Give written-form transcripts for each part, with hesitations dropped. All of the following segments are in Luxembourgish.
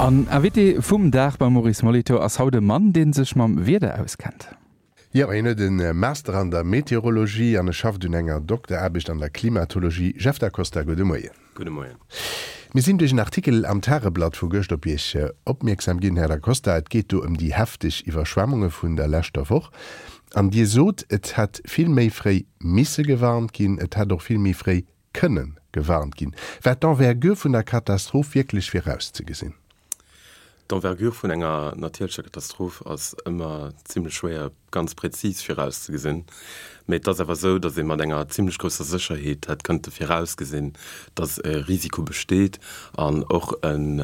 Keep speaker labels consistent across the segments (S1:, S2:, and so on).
S1: An Invité vum Dag beim Maurice Molitor ass haut e Mann, dee sech mam Wieder auskennt.
S2: Jo, hien huet e Master an der Meteorologie an e schafft un enger Dokteraarbecht an der Klimatologie. Jeff Da Costa, gudde Moien.
S3: Gudde Moien.
S2: Mir sinn duerch en Artikel am Tageblatt vu gëscht op Iech opmierksam ginn, Här Da Costa. Et geet do ëm déi hefteg Iwwerschwemmunge vun der leschter Woch. An Dir sot, et hätt vill méi fréi misse gewarnt ginn, et hätt och vill méi fréi kënnen gewarnt ginn. War d'Envergure vun der Katastroph wierklech virauszegesinn?
S3: D'Envergure vun enger natierlecher Katastroph ass ëmmer zimlech schwéier ganz präzis virauszegesinn. Mee et ass awer esou, datt ee mat enger zimlech grousser Sécherheet hätt kënnte virausgesinn, datt e Risiko besteet an och en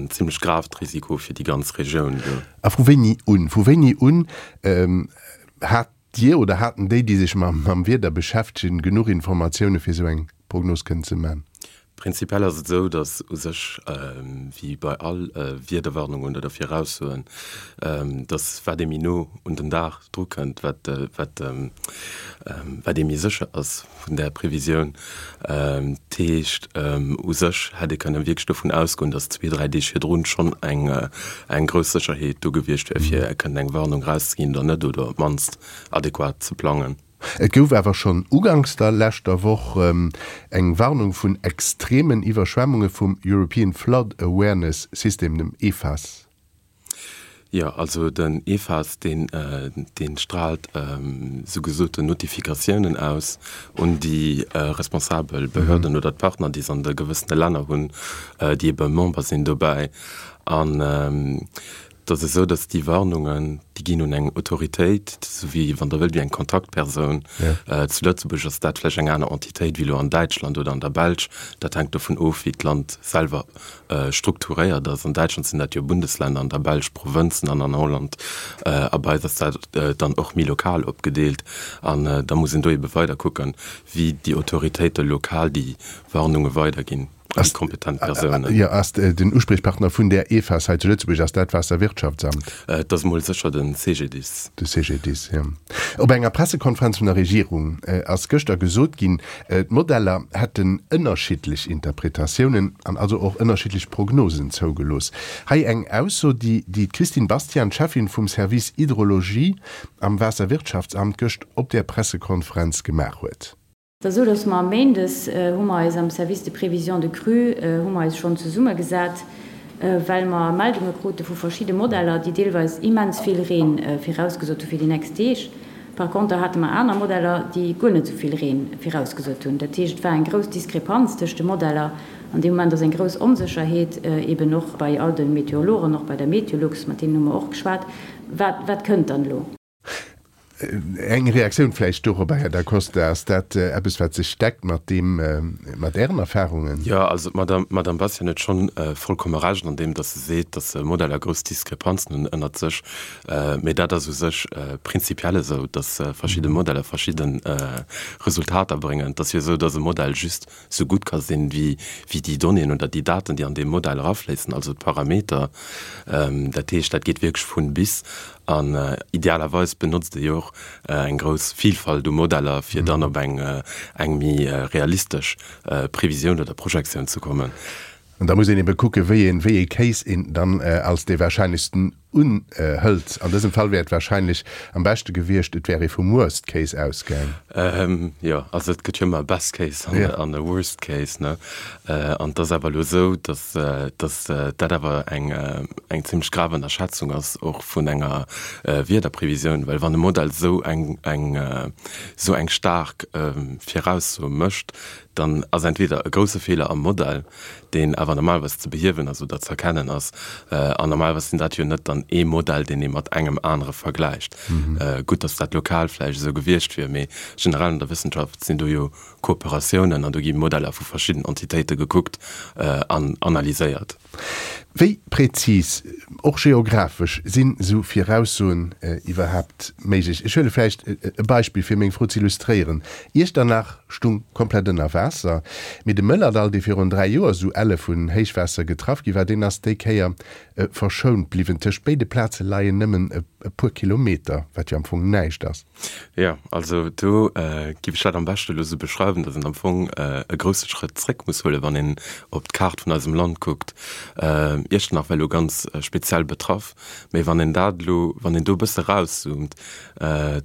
S3: zimlech gravt Risiko fir déi ganz Regioun do.
S2: A vu wéini un? Vu wéini un hat Dir oder haten déi, déi sech mam Wieder beschäftegen, genuch Informatioune fir esou eng Prognos kënnen ze man?
S3: Prinzipiell ass et esou, datt u sech, wéi bei all Wiederwarnungen oder Viraussoen, datt wat ee méi no un den Dag dru kënnt, wat wat wat ee méi sécher ass vun där Previsioun. Dat heescht, u sech hätt ee kënne wierklech dovun ausgoen, datt zwee, dräi Deeg virdrun schonn eng eng grouss Sécherheet do gewiescht wär, fir kënnen eng Warnung erauszeginn oder net, oder op d'mannst adequat ze plangen.
S2: Et gouf awer schonn uganks der leschter Woch eng Warnung vun extremen Iwwerschwemmunge vum European Flood Awareness System, dem EFAS.
S3: Jo, also den EFAS, deen, dee straalt sou gesoten Notifikatiounen aus un déi responsabel Behörden oder d'Partner, déi se an de gewëssene Länner hunn, déi ebe Member sinn dobäi. An Et ass esou, datt déi Warnungen, déi ginn un eng Autoritéit, esou wéi, wann Der wëllt, wéi eng Kontaktpersoun. Zu Lëtzebuerg ass dat vläicht eng aner Entitéit wéi elo an Däitschland oder an der Belsch. Dat hänkt dovun of, wéi d'Land selwer strukturéiert ass. An Däitschland sinn dat jo Bundesländer, an der Belsch Provënzen an an Holland a bei eis ass dat dann och méi lokal opgedeelt. An da muss een do ebe weider kucken, wéi déi Autoritéite lokal déi Warnunge weiderginn. An déi kompetent Persounen.
S2: Jo, ass den Uspriechpartner vun där EFAS hei zu Lëtzebuerg, ass dat d'Waasserwirtschaftsamt?
S3: Et ass emol sécher de CGDIS.
S2: De CGDIS, jo. Op enger Pressekonferenz vun der Regierung ass gëschter gesot ginn, d'Modeller hätten ënnerschiddlech Interpretatiounen an also och ënnerschiddlech Prognosen zougelooss. Hei eng Ausso, déi d'Christine Bastian, Cheffin vum Service Hydrologie am Waasserwirtschaftsamt, gëscht op där Pressekonferenz gemaach huet.
S4: Et ass esou, dass mer méindes hu mer eis am Service de prévision de crue hu mer eis schonn zesummegesat, well mer Meldunge krute vu verschidde Modeller, déi deelweis immens vill Reen virausgesot hu fir déi nächst Deeg. Par conter hate mer aner Modeller, déi guer net esou vill Reen virausgesot hunn. Dat heescht, et war eng grouss Diskrepanz tëscht de Modeller. An deem Moment ass eng grouss Onsécherheet eben och bei all de Meteorologen, och bei der Meteolux, mat deenen hu mer och geschwat, Wat, wat kënnt dann elo?
S2: Eng Reaktioun vläicht dorobber, Här Da Costa, Ass dat eppes, wat sech deckt mat deem, mat Ären Erfahrungen?
S3: Jo, also d'Madame, d'Madame Bastian huet schonn vollkomme Recht an deem, datt se seet, datt Modeller grouss Diskrepanzen hunn ënnert sech. Mee dat ass u sech prinzipiell esou, datt verschidde Modeller verschidde Resultater bréngen. Et ass jo esou, datt e Modell just sou gutt ka sinn, wéi déi Donnéeën oder déi Daten, déi an dee Modell erafléissen, also d'Parameter. Dat heescht, dat geet wierklech vun bis. An idealerweis benotzt ee jo och eng grouss Vielfalt u Modeller, fir dann op eng méi realistesch Previsioun oder Projektioun ze kommen.
S2: An da muss een ebe kucken, wéi een, wéi ee Case een dann als dee wahrscheinlechsten unhëlt. An dësem Fall wär et wahrscheinlech am beschte gewiescht, et wär ee vum Worst Case ausgaang.
S3: Jo, also et gëtt jo ëmmer e Best Case an e Worst Case, ne? An et ass awer elo esou, datt, datt dat awer eng, eng zimlech grav Ënnerschätzung ass och vun enger Wiederprevisioun, well wann e Modell esou eng, eng, esou eng staark Viraussoe mécht, dann ass entweder e grousse Feeler am Modell, deen awer normalerweis ze behiewen ass oder ze erkennen ass, an normalerweis sinn dat jo net dann ee Modell, deen ee mat engem anere vergläicht. Gutt, datt dat lokal vläicht esou gewiescht wier, mee generell an der Wëssenschaft sinn do jo Kooperatiounen an do gi Modeller vu verschidden Entitéite gekuckt an analyséiert.
S2: Wéi präzis, och geographesch, sinn esou Viraussoen iwwerhaapt méiglech? Ech huele vläicht e Beispill, fir meng Fro z'illustréieren, Iechternach stung komplett ënner Waasser, mee de Mëllerdall, dee virun 3 Joer esou elle vun Héichwaasser getraff gi war, deen ass déi Kéier verschount bliwwen. Tëscht béide Plaze leien nëmmen e puer Kilometer, wat jo am Fong näischt ass.
S3: Jo, also do giff ech dat am beschte elo sou beschreiwen, datt een am Fong e grousse Schrëtt zréck muss huelen, wann een op d'Kaart vun eisem Land kuckt. Iechternach war elo ganz speziell betraff, mee wann een dat elo, wann een do e bësse erauszoomt,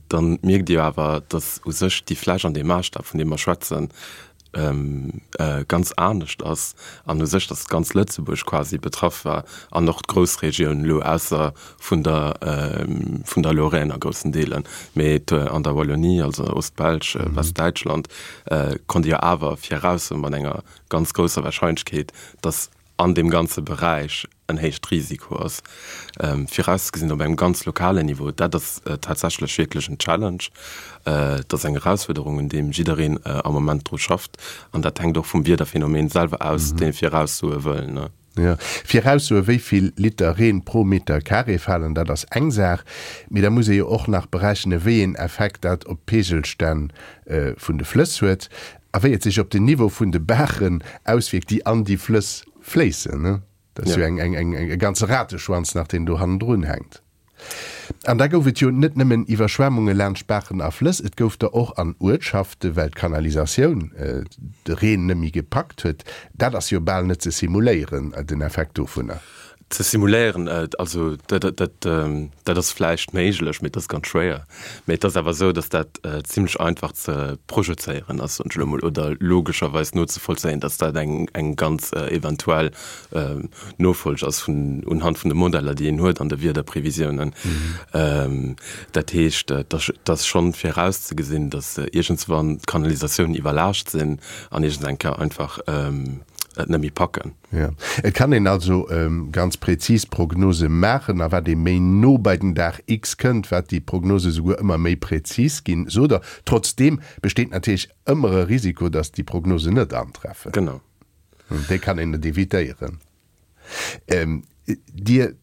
S3: dann mierkt Dir jo awer, dass u sech déi Fläch an dee Maasstaf, vun deem mer schwätzen, ganz anescht ass an u sech, dass ganz Lëtzebuerg quasi betraff war an och d'Groussregioun elo, ausser vun der, vun der Lorraine a groussen Deelen, mee an der Wallonie, also Ostbelsch, Westdäitschland, konnt ee jo awer viraussoen mat enger ganz grousser Wahrscheinlechkeet, dass an deem ganze Beräich en héicht Risiko ass. Virauszegesinn op engem ganz lokalen Niveau, dat ass tatsächlech wierklech en Challenge. Et ass eng Erausfuerderung, un deem jiddereen am Moment dru schafft. An dat hänkt och vum Wiederphänomen selwer aus, dee viraussoe wëll.
S2: Jo, viraussoe wéi vill Liter Reen pro Meter Carré falen, dat ass eng Saach. Mee da muss ee jo och nach berechnen, wéi een Effekt dat op d'Peegelstänn vun de Flëss huet a wéi et sech op den Niveau vun de Baachen auswierkt, déi an déi Flëss fléissen. Dat ass jo eng, eng, eng, e ganze Rateschwanz nach, deen do hannendrun hänkt. An da gouf et jo net nëmmen Iwwerschwemmunge laanscht Baachen a Flëss, et gouf der och an Uertschaften, well d'Kanalisatioun de Reen net méi gepackt huet. Dat ass jo bal net ze simuléieren, den Effekt dovunner.
S3: Ze simuléieren, also dat ass vläicht méiglech, mee et ass ganz schwéier. Mee et ass awer esou, datt dat zimlech einfach ze projezéieren ass, soen ech elo emol, oder logescherweis nozevollzéien, datt dat eng ganz eventuell Nofolg ass vun unhand vun de Modeller, déi een huet an de Wiederprevisiounen. Dat heescht, et ass schonn virauszegesinn, datt iergendswann d'Kanalisatiounen iwwerlaascht sinn an iergends eng Kéier einfach et net méi packen.
S2: Jo, et kann een also ganz präzis Prognose maachen, a wat ee méi no bei den Dag X kënnt, wat déi Prognose souguer ëmmer méi präzis ginn, sot Der. Trotzdeem besteet natierlech ëmmer e Risiko, datt déi Prognosen net antreffen.
S3: Genau.
S2: Dee kann een net evitéieren. Dir,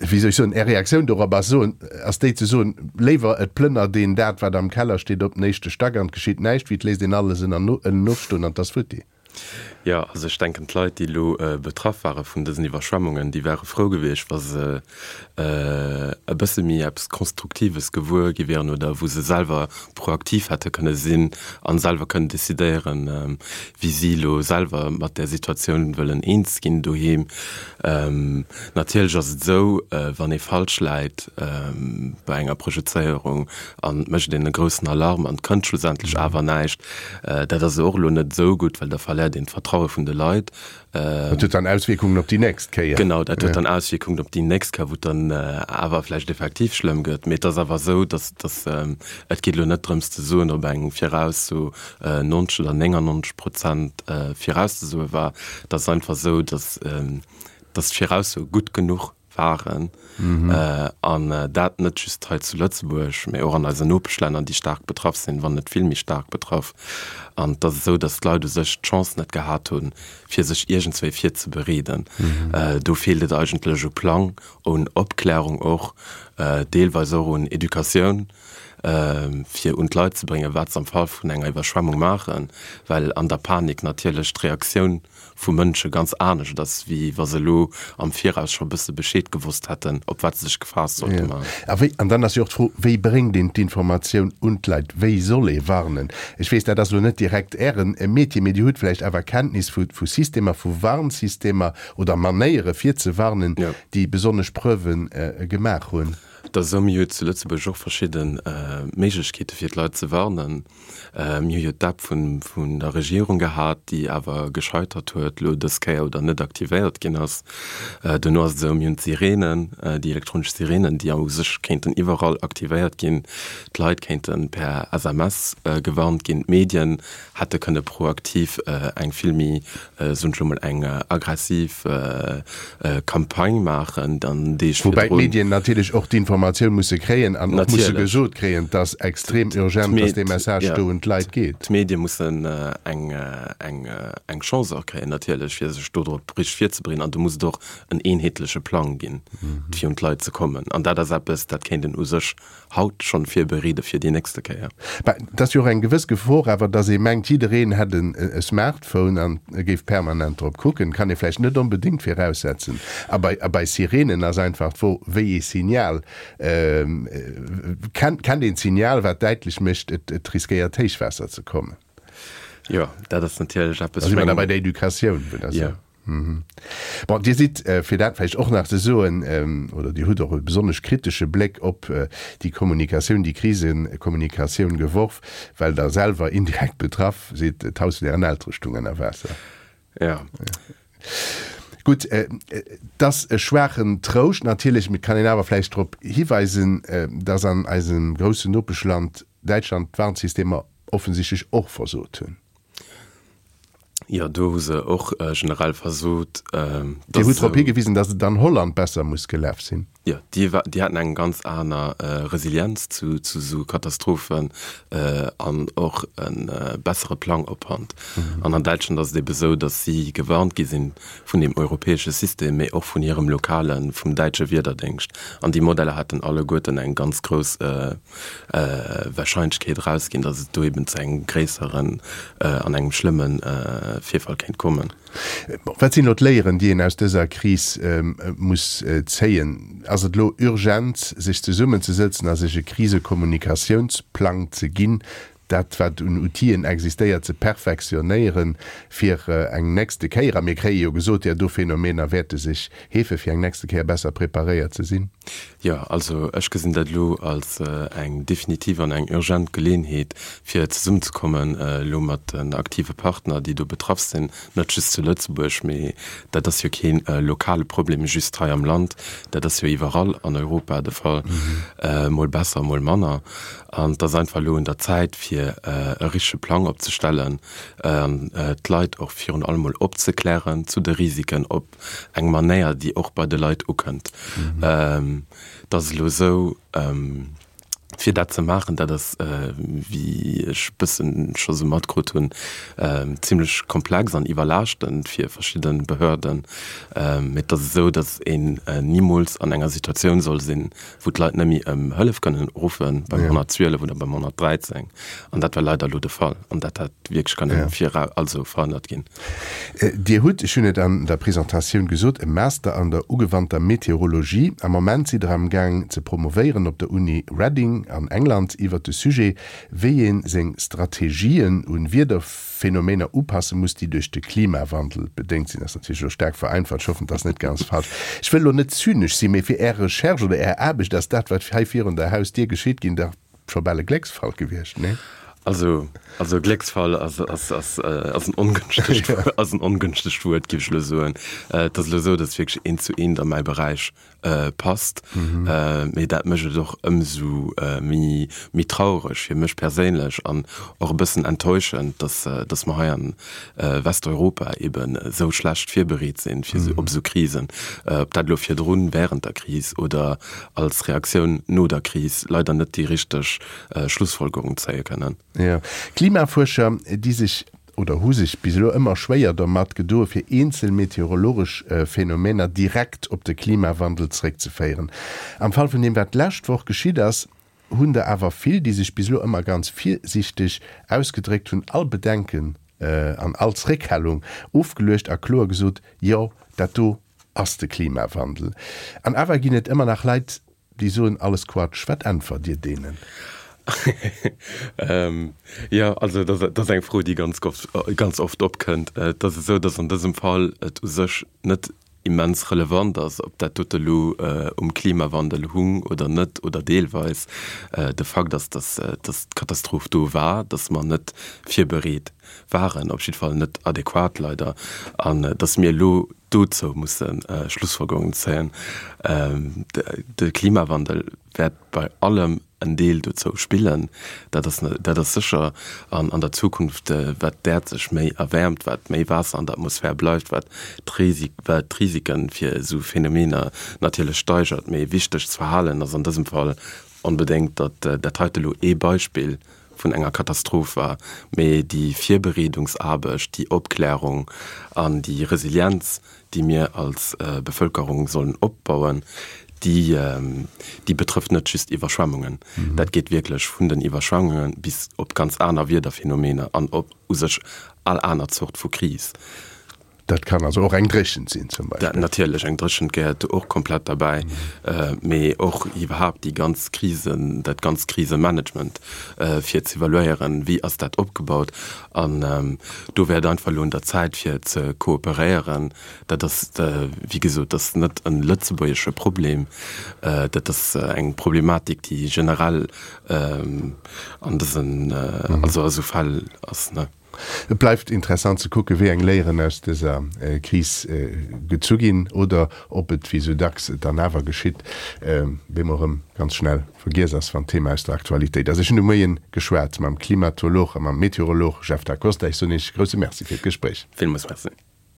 S2: wéi soll ech soen, Är Reaktioun dorop ass soen, ass déi ze soen, léiwer et plënnert een dat, wat am Keller steet, op den éischte Stack an et geschitt näischt, wéi et léisst een alles ënnen ofstoen an et ass futti.
S3: Jo, also ech denken, d'Leit, déi elo betraff ware vun dësen Iwwerschwemmungen, déi ware frou gewiescht, wa se e bësse méi eppes Konstruktives gewuer gi wieren oder wou se selwer proaktiv hätte kënne sinn a selwer kënnen decidéieren, wéi si elo selwer mat där Situatioun wëllen eens ginn doheem. Natierlech ass et esou, wann ee falsch läit bei enger Projezéierung an et mécht een e groussen Alarm an et kënnt schlussendlech awer näischt, dat ass och elo net esou gutt, well da verléiert een d'Vertraue vun de Leit.
S2: Dat huet dann Auswierkungen op déi nächst Kéier.
S3: Genau, dat huet dann Auswierkungen op déi nächst Kéier, wou et dann awer vläicht effektiv schlëmm gëtt. Mee et ass awer esou, datt, datt et geet elo net drëms ze soen, ob eng Virausso 90 oder 99 Prozent virauszesoe war. Et ass einfach esou, datt, datt d'Viraussoe gutt genuch waren an dat net just hei zu Lëtzebuerg, mä och an eisen Nopeschlänner, déi staark betraff sinn, wann net vill méi staark betraff. An et ass esou, datt d'Leit u sech d'Chance net gehat hunn, fir sech iergendswéi virzebereeden. Do feelt et eigentlech u Plang, un Opklärung och, deelweis och un Educatioun, fir un d'Leit ze bréngen, wat se am Fall vun enger Iwwerschwemmung maachen, well an der Panik natierlech d'Reaktioun vu Mënsche ganz anescht ass, wéi wa se elo am Viraus scho bësse Bescheed gewosst hätten, op wat se sech gefaasst sollte maachen.
S2: A wéi, an dann ass jo och d'Fro, wéi bréngt een d'Informatioun un d'Leit? Wéi soll ee warnen? Ech weess, dat ass elo net direkt Ären Metier, mee Dir hutt vläicht awer Kenntnis vu vu Systemer, vu Warnsystemer oder Manéiere fir ze warnen, déi besonnesch Preuve gemaach hunn.
S3: Et ass esou, mir hu zu Lëtzebuerg och verschidde Méiglechkeete fir d'Leit ze warnen. Mir hu jo d'App vun der Regierung gehat, déi awer gescheitert huet elo dës Kéier oder net aktivéiert ginn ass. Duerno ass et esou, mir hunn d'Sirenen, déi elektronesch Sirenen, déi u sech kéinten iwwerall aktivéiert ginn. D'Leit kéinte per SMS gewarnt ginn. D'Medien hätte kënne proaktiv eng vill méi, soen ech elo mol, eng aggressiv Campagne maachen dann
S2: Deeg virdrun. Woubäi d'Medien natierlech och d'Informatioun musse kréien an och musse gesot kréien, et ass extrem urgent, datt dee Message do un d'Leit geet.
S3: D'Medie mussen eng eng Chance och kréien natierlech, fir sech dodrop richteg virzebereeden an do muss et och en eenheetleche Plang ginn, fir un d'Leit ze kommen. An dat ass eppes, dat kéint een u sech haut schonn virbereede fir déi nächste Kéier.
S2: Bah, et ass jo och eng gewëss Gefor awer, dass ee mengt, jiddereen hätt e Smartphone an e géif permanent drop kucken. Kann ee vläicht net onbedéngt viraussetzen. A bei, a bei Sirenen ass einfach d'Fro, wéi ee Signal. Kennt, kennt een d'Signal, wat däitlech mécht, et, et riskéiert Héichwaasser ze kommen?
S3: Jo, dat ass natierlech eppes.
S2: Da si mer da bei der Educatioun, wou dat.
S3: Jo.
S2: Bon, Dir sidd, fir dat vläicht och nach ze soen, oder Dir hutt och e besonnesch kritesche Bléck op déi Kommunikatioun, déi Krisekommunikatioun geworf, well Der selwer indirekt betraff sidd, d'Haus vun Ären Eltere stung ënner Waasser.
S3: Ja.
S2: Gutt, et ass e schwaachen Trouscht natierlech, mee et kann een awer vläicht drop hiweisen, dass an eisem groussen Nopeschland Däitschland d'Warnsystemer offensichtlech och versot hunn.
S3: Jo, do hu se och generell versot.
S2: Dir hutt drop higewisen, datt et an Holland besser muss gelaf sinn.
S3: Jo, déi déi haten eng ganz aner Resilienz zu zu esou Katastrophen an och e bessere Plang op Hand. An an Däitschland ass et ebe sou, datt si gewarnt gi sinn vun deem europäesche System, mee och vun hirem lokalen, vum däitsche Wiederdéngscht. An déi Modeller haten alleguerten eng ganz grouss Warscheinlechkeet erausginn, datt et do eben zu engem gréisseren an engem schlëmme Virfall kéint kommen.
S2: Wat sinn elo d'Léieren, déi een aus dëser Kris muss zéien? Ass et elo urgent, sech zesummenzesëtzen a sech e Krisekommunikationsplang ze ginn, dat wat un Outiller existéiert ze perfektionéieren, fir eng nächste Kéier, a mir kréie jo gesot, där do Phänomener wäerte sech heefen, fir eng nächste Kéier besser preparéiert ze sinn?
S3: Jo, also ech gesinn dat elo als eng definitiv an eng urgent Geleeënheet, fir zesummenzekommen elo mat den aktive Partner, déi do betraff sinn, net just zu Lëtzebuerg, mee dat ass jo kee lokale Problem just hei am Land, dat ass jo iwwerall an Europa de Fall, mol besser, mol manner. An et ass einfach elo un der Zäit, fir e richtege Plang opzestellen an d'Leit och virun allem mol opzeklären zu de Risiken op eng Manéier, déi och bei de Leit ukënnt. Et ass elo esou, fir dat ze maachen, dat ass, wéi ech e bëssen scho sou matkrut hunn, zimlech komplex an iwwerlaaschtend fir verschidde Behörden. Mee et ass esou, datt een nimools an enger Situatioun soll sinn, wou d'Leit net méi ëm Hëllef kënnen ruffe beim 112 oder beim 113. An dat war leider elo de Fall. An dat hätt wierklech kënnen vira, also verhënnert ginn.
S2: Dir hutt, ech hunn et an der Presentatioun gesot, e Master an der ugewannter Meteorologie. Am Moment sidd Der amgaang ze promovéieren op der Uni Reading an England iwwert de Sujet, wéi ee seng Strategien u Phänomener upasse muss, déi duerch de Klimawandel bedéngt sinn. Dat ass natierlech elo staark vereinfacht, ech hoffen, et ass net ganz falsch. Ech wëll elo net zynesch sinn, mee fir Är Recherche oder Är Aarbecht ass dat, wat hei virun der Hausdier geschitt, ginn dach scho bal e Glécksfall gewiescht, nee?
S3: Also, also Glécksfall ass, ass, ass, ass en ongënschtegt, ass en ongënschtegt Wuert, géif ech elo soen. Et ass elo esou, datt wierklech eent zu eent a mäi Beräich passt. Mee dat mécht et och ëmsou méi méi traureg fir mech perséinlech an och e bëssen enttäuschend, dass dass mer hei an Westeuropa eben esou schlecht virbereet sinn fir esou op esou Krisen, ob dat elo virdrun, während der Kris oder als Reaktioun no der Kris, leider net déi richteg Schlussfolgerung zéie kënnen.
S2: Jo, Klimafuerscher, déi sech oder hu sech bis elo ëmmer schwéier domat gedoe fir eenzel meteorologesch Phänomener direkt op de Klimawandel zeréckzeféieren. Am Fall vun deem wat d'lescht Woch geschitt ass, hunn der awer vill, déi sech bis elo ëmmer ganz virsiichteg ausgedréckt hunn, all Bedenken an all Zréckhalung ofgeluecht a kloer gesot, Jo, dat do ass de Klimawandel. An awer ginn et ëmmer nach Leit, Déi soen alles Quatsch. Wat äntwert Dir deenen?
S3: Jo, also dat ass eng Fro, déi ganz ganz oft opkënnt. Et ass esou, datt an dësem Fall et u sech net immens relevant ass, ob dat dote elo um Klimawandel hung oder net oder deelweis. De Fakt ass, datt datt d'Katastroph do war, datt mer net virbereet waren, op jiddwer Fall net adequat leider, an datt mir elo dozou musse Schlussfolgerungen zéien. De Klimawandel wäert bei allem en Deel dozou spillen, dat ass, dat ass sécher. An an der Zukunft, wat d'Äerd sech méi erwäermt, wat méi Waasser an der Atmosphär bleift, wat d'Risik, wat d'Risike fir esou Phänomener natierlech steigert. Mee wichteg ze verhalen ass an dësem Fall onbedéngt, datt dat heite elo ee Beispill vun enger Katastroph war, mee déi Virbereedungsaarbecht, déi Opklärung an déi Resilienz, déi mir als Bevëlkerung sollen opbauen, déi, déi betrëfft net just Iwwerschwemmungen. Dat geet wierklech vun den Iwwerschwemmunge bis op ganz aner Wiederphänomener an op u sech all aner Zort vu Kris.
S2: Dat kann also och eng Dréchent sinn zum
S3: Beispill. Dat natierlech, eng Dréchent gehéiert do och komplett derbäi, mee och iwwerhaapt déi ganz Krisen, dat ganzt Krisemanagement fir ze evaluéieren, wéi ass dat opgebaut. An do wär et einfach elo un der Zäit fir ze kooperéieren. Dat ass, wéi gesot, dat ass net e lëtzebuergesche Problem, dat ass eng Problematik, déi generell an dësen, also a sou Fäll ass.
S2: Et bleift interessant ze kucken, wéi eng Léieren aus dëser Kris gezu ginn oder ob et, wéi sou dacks dann awer geschitt, bemol erëm ganz schnell vergiess ass, wann d'Thema aus der Aktualitéit ass. Ech hunn de Moien geschwat mam Klimatolog a mam Meteorolog Jeff Da Costa. Ech soen Iech e grousse Merci fir d'Gespréich.
S3: Villmools Merci.